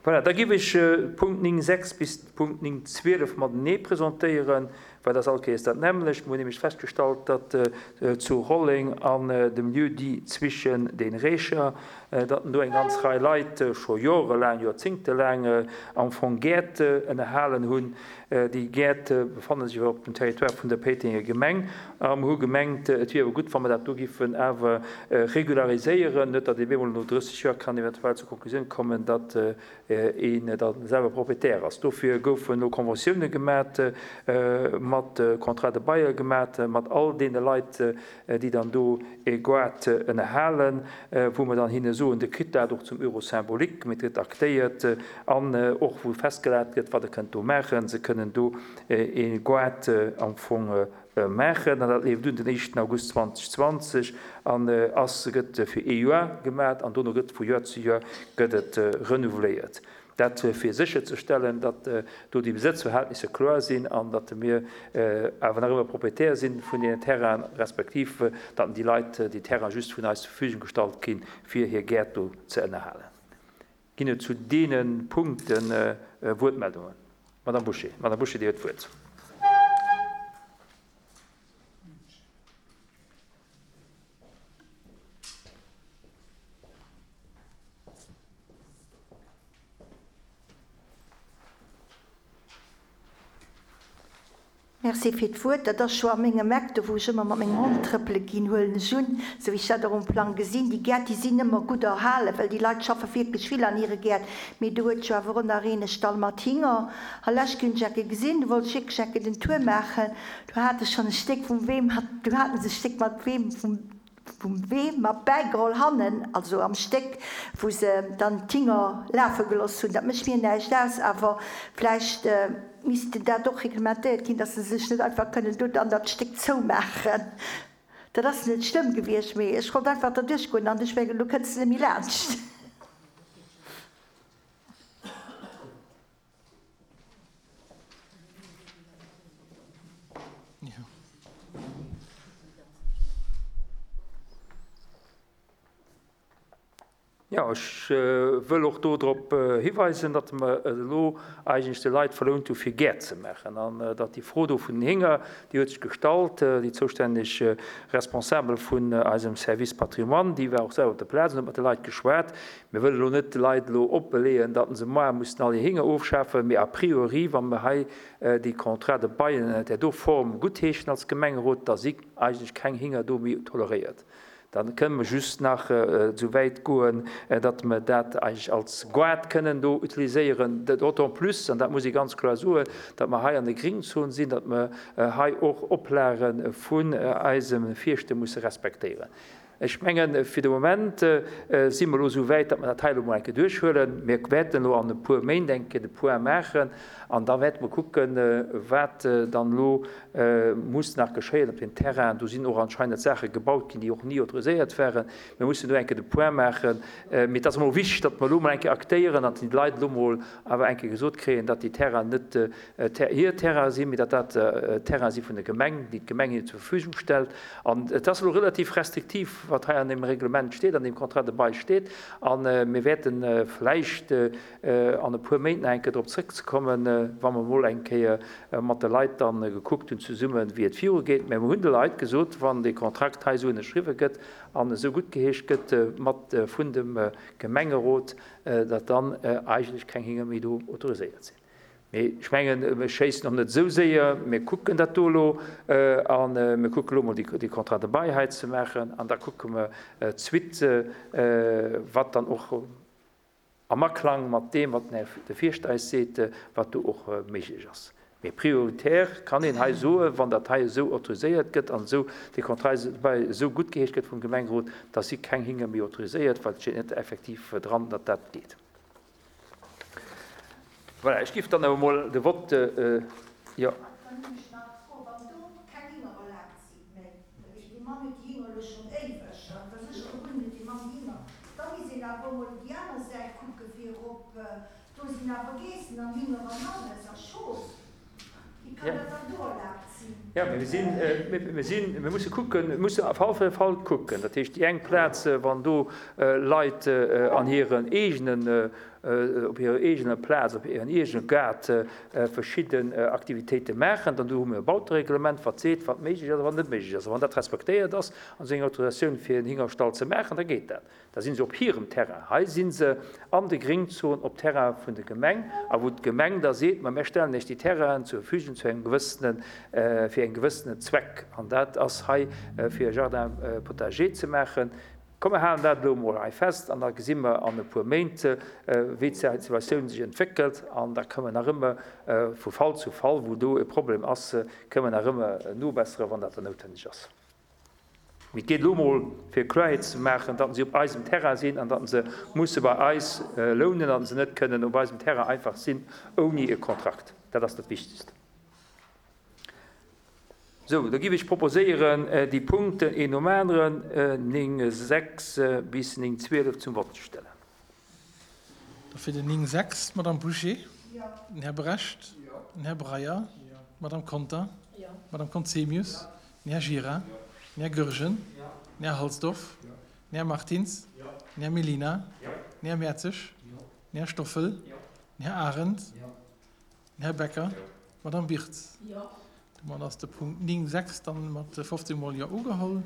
Voilà, da giff ech Punkt 9 6 bis Punkt 9 12 matenee presentéieren, well dat ass all Kéiers dat nämmlecht. Mir hunn nämlech festgestallt, datt zu Rolleng an dem Lieu-dit Zwischen den Recher, datt do eng ganz Rei Leit scho jorelaang, joerzéngtelaang am Fong Gäert ënnerhalen hunn. Déi Gäert befanne sech awer op dem Territoire vun der Péitenger Gemeng a mer hu gemengt, et wier awer gutt, wa mer dat do giffen awer regulariséieren, net datt ee bemol no 30 Joer kann eventuell zur Konklusioun kommen, datt een da selwer Propriétaire ass. Dofir goufen elo Conventioune gemat, mat Contrats de bail gemat mat all deene Leit, déi dann do e Goart ënnerhalen, wou mer dann hinne soen, Dir kritt dat och zum Euro symbolique, mee et gëtt aktéiert an och wou festgelat gëtt, wat Der kënnt do maachen. Se kënnen do e Goart am Fong maachen an dat leeft un den éischten August 2020 an ass, gëtt fir ee Joer gemat an dono gëtt vu Joer zu Joer gëtt et renouveléiert. Dat fir sécherzestellen, datt do déi Besëtzverhältnisser kloer sinn an datt mir awer nach ëmmer Propriétaire si vun deenen Terrainen, respektiv datt déi Leit déi Terraine just vun eis zur Verfügung gestallt ginn, fir hir Gäert do ze ënnerhalen. Ginn et zu deene Punkte Wuertmeldungen? Madame Bouché. Madame Bouché, Dir huet d'Wuert. Merci fir d'Wuert. Dat ass scho a mengem Eck, do wou ech ëmmer mat mengem Hond trëppele ginn, huelen ech un, esou wéi ech dat och um Plang gesinn. Déi Gäert, déi sinn ëmmer gutt erhalen, well déi Leit schaffe wierklech vill an hire Gäert. Mee do huet jo awer och nach een e Stall mat Hinger. A lescht hunn ech ecke gesinn, do wollt ech wierklech ecke den Tour maachen. Do hat ech schonn e Stéck vum Wee mat, do haten se e Stéck mat Wee vum. Vum Wee mat bäigeholl hannen, also am Stéck, wou se dann d'Hinger lafe geloss hunn. Dat mécht mir näischt aus, awer vläicht misst dat och reglementéiert ginn, dass se sech net einfach kënnen do dann dat Stéck zoumaachen. Dat ass net schlëmm gewiescht, mee ech wollt einfach derduerch goen an ech mengen, elo kënns de net méi laanscht. Jo, ech wëll och do drop hiweisen, datt mer et elo eigentlech de Leit verlount hu fir Gäert ze maachen an datt déi Fro do vun den Hénger, déi huet sech gestallt. Déi zoustänneg Responsabel vun eisem Service Patrimoine, déi war och selwer op der Plaz an huet mat de Leit geschwat. Mir wëllen elo net de Leit elo opbeleeën, datt se moar mussen all hir Hinger ofschafen, mee a priori, wa mer hei déi Contrats de bail an där do Form guttheeschen als Gemengerot, da si eigentlech keng Hinger do méi toleréiert. Da kënne mer just nach esou wäit goen, datt mer dat eigentlech als Goart kënnen do utiliséieren, d'autant plus, an dat muss ee ganz kloer soen, datt mer hei an der Gringzon sinn, datt mer hei och Oplage vun eisem Fierschter musse respektéieren. Ech mengen, fir de Moment si mer elo esou wäit, datt mer dat hei elo emol eng Kéier duerchhuelen. Mir wäerten elo an e puer Méint eng Kéier de Point maachen an da wäerte mer kucken, wat dann elo muss nach geschéien op deem Terrain. Do sinn och anscheinend Saache gebaut ginn, déi och ni autoriséiert waren. Mir mussen do eng Kéier de Point maachen. Mee et ass emol wichteg, datt mer elo emol eng Kéier aktéieren an déi Leit elo emol awer eng Kéier gesot kréien, datt déi Terrainen net hir Terraine sinn, mee datt dat Terraine si vun der Gemeng, déi d'Gemeng hinnen zur Verfügung stellt. An et ass elo relativ restriktiv, wat hei an deem Reglement steet, an deem Contrat de bail steet. A mir wäerte vläicht an e puer Méint nach eng Kéier drop zrëckzekommen, wa mer emol eng Kéier mat de Leit da gekuckt hunn zesummen, wéi et virugeet. Mä mir hunn de Leit gesot, wann dee Kontrakt hei esou ënnerschriwwe gëtt an esou guttgeheescht gëtt mat vun dem Gemengerot, datt dann eigentlech keng Hinger méi do autoriséiert sinn. Mee ech mengen, mir schéissen och net esou séier. Mir kucken dat do elo a mir kucken elo emol déi Contrats de bail hei ze maachen an da kucke mer d'Suite, wat dann och am Aklang mat deem, wat den Här de Fierschter eis seet, wat do och méiglech ass. Mee prioritär kann een hei soen, wann dat hei esou autoriséiert gëtt an esou dee Contrat de bail esou guttgeheescht gëtt vum Gemengerot, da si keng Hinger méi autoriséiert, well et steet net effektiv dran, datt dat geet. Voilà, ech giff dann awer mol de Vote, jo. Dann hunn ech nach d'Fro, wann do keng Hinger erlaabt si méi, dat heescht, dee Mann huet déi Hinger elo schonn éiweg, an et ass sécher och un, huet dee Mann déi Hinger, da misst een awer och mol op déi aner Säit kucke fir op, do sinn awer Geessen an Hinger an alles a Schof, wéi kann dat dann do erlaabt sinn? Jo, mee mir sinn, mir sinn, mir musse kucken, mir musse Fall fir Fall kucken. Dat heescht, déi eng Plaz, wann do Leit an hiren eegene. op hirer eegener Plaz, op hiren eegene Gaart verschidden Aktivitéite maachen, dann do hu mir e Bautereglement, wat seet, wat méiglech ass a wat net méiglech ass. A wann dat respektéiert ass an se eng Autorisatioun fir en Hingerstall ze maachen, da geet dat. Da si se op hirem Terrain. Hei si se an de Gringzonen op Terrain vun der Gemeng a wou d'Gemeng da seet, ma mir stellen Iech déi Terrainen zur Verfügung zu engem gewëssenen, fir engem gewëssenen Zweck. An dat ass hei fir e Jardin potager ze maachen. Komm mer halen dat elo emol hei fest an da gesi mer an e puer Méint, wéi d'Situatioun sech entwéckelt. An da kënnen mer nach ëmmer vu Fall zu Fall, wou do e Problem ass, kënnen mer nach ëmmer nobesseren, wann dat dann noutwenneg ass. Mee et geet elo emol, fir Kloerheet ze maachen, datt se op eisem Terrain sinn an datt se musse bei eis lounen, datt se net kënnen op eisem Terrain einfach sinn ouni e Kontrakt. Dat ass dat Wichtegst. Sou, da giff ech proposéieren, déi Punkten een nom aneren, 9, 6 bis 9, 12, zum Vott ze stellen. Da fir den 9, 6 d'Madame Bouché, den Här Brecht, den Här Breyer, d'Madame Conter, d'Madame Conzemius, den Här Gira, den Här Goergen, den Här Halsdorf, den Här Martins, den Här Mellina, den Här Mertzig, den Här Stoffel, den Här Arendt, Den Här Becker. D'Madame Wirtz. Domat ass de Punkt 9, 6 dann mat 15 mol Jo ugeholl.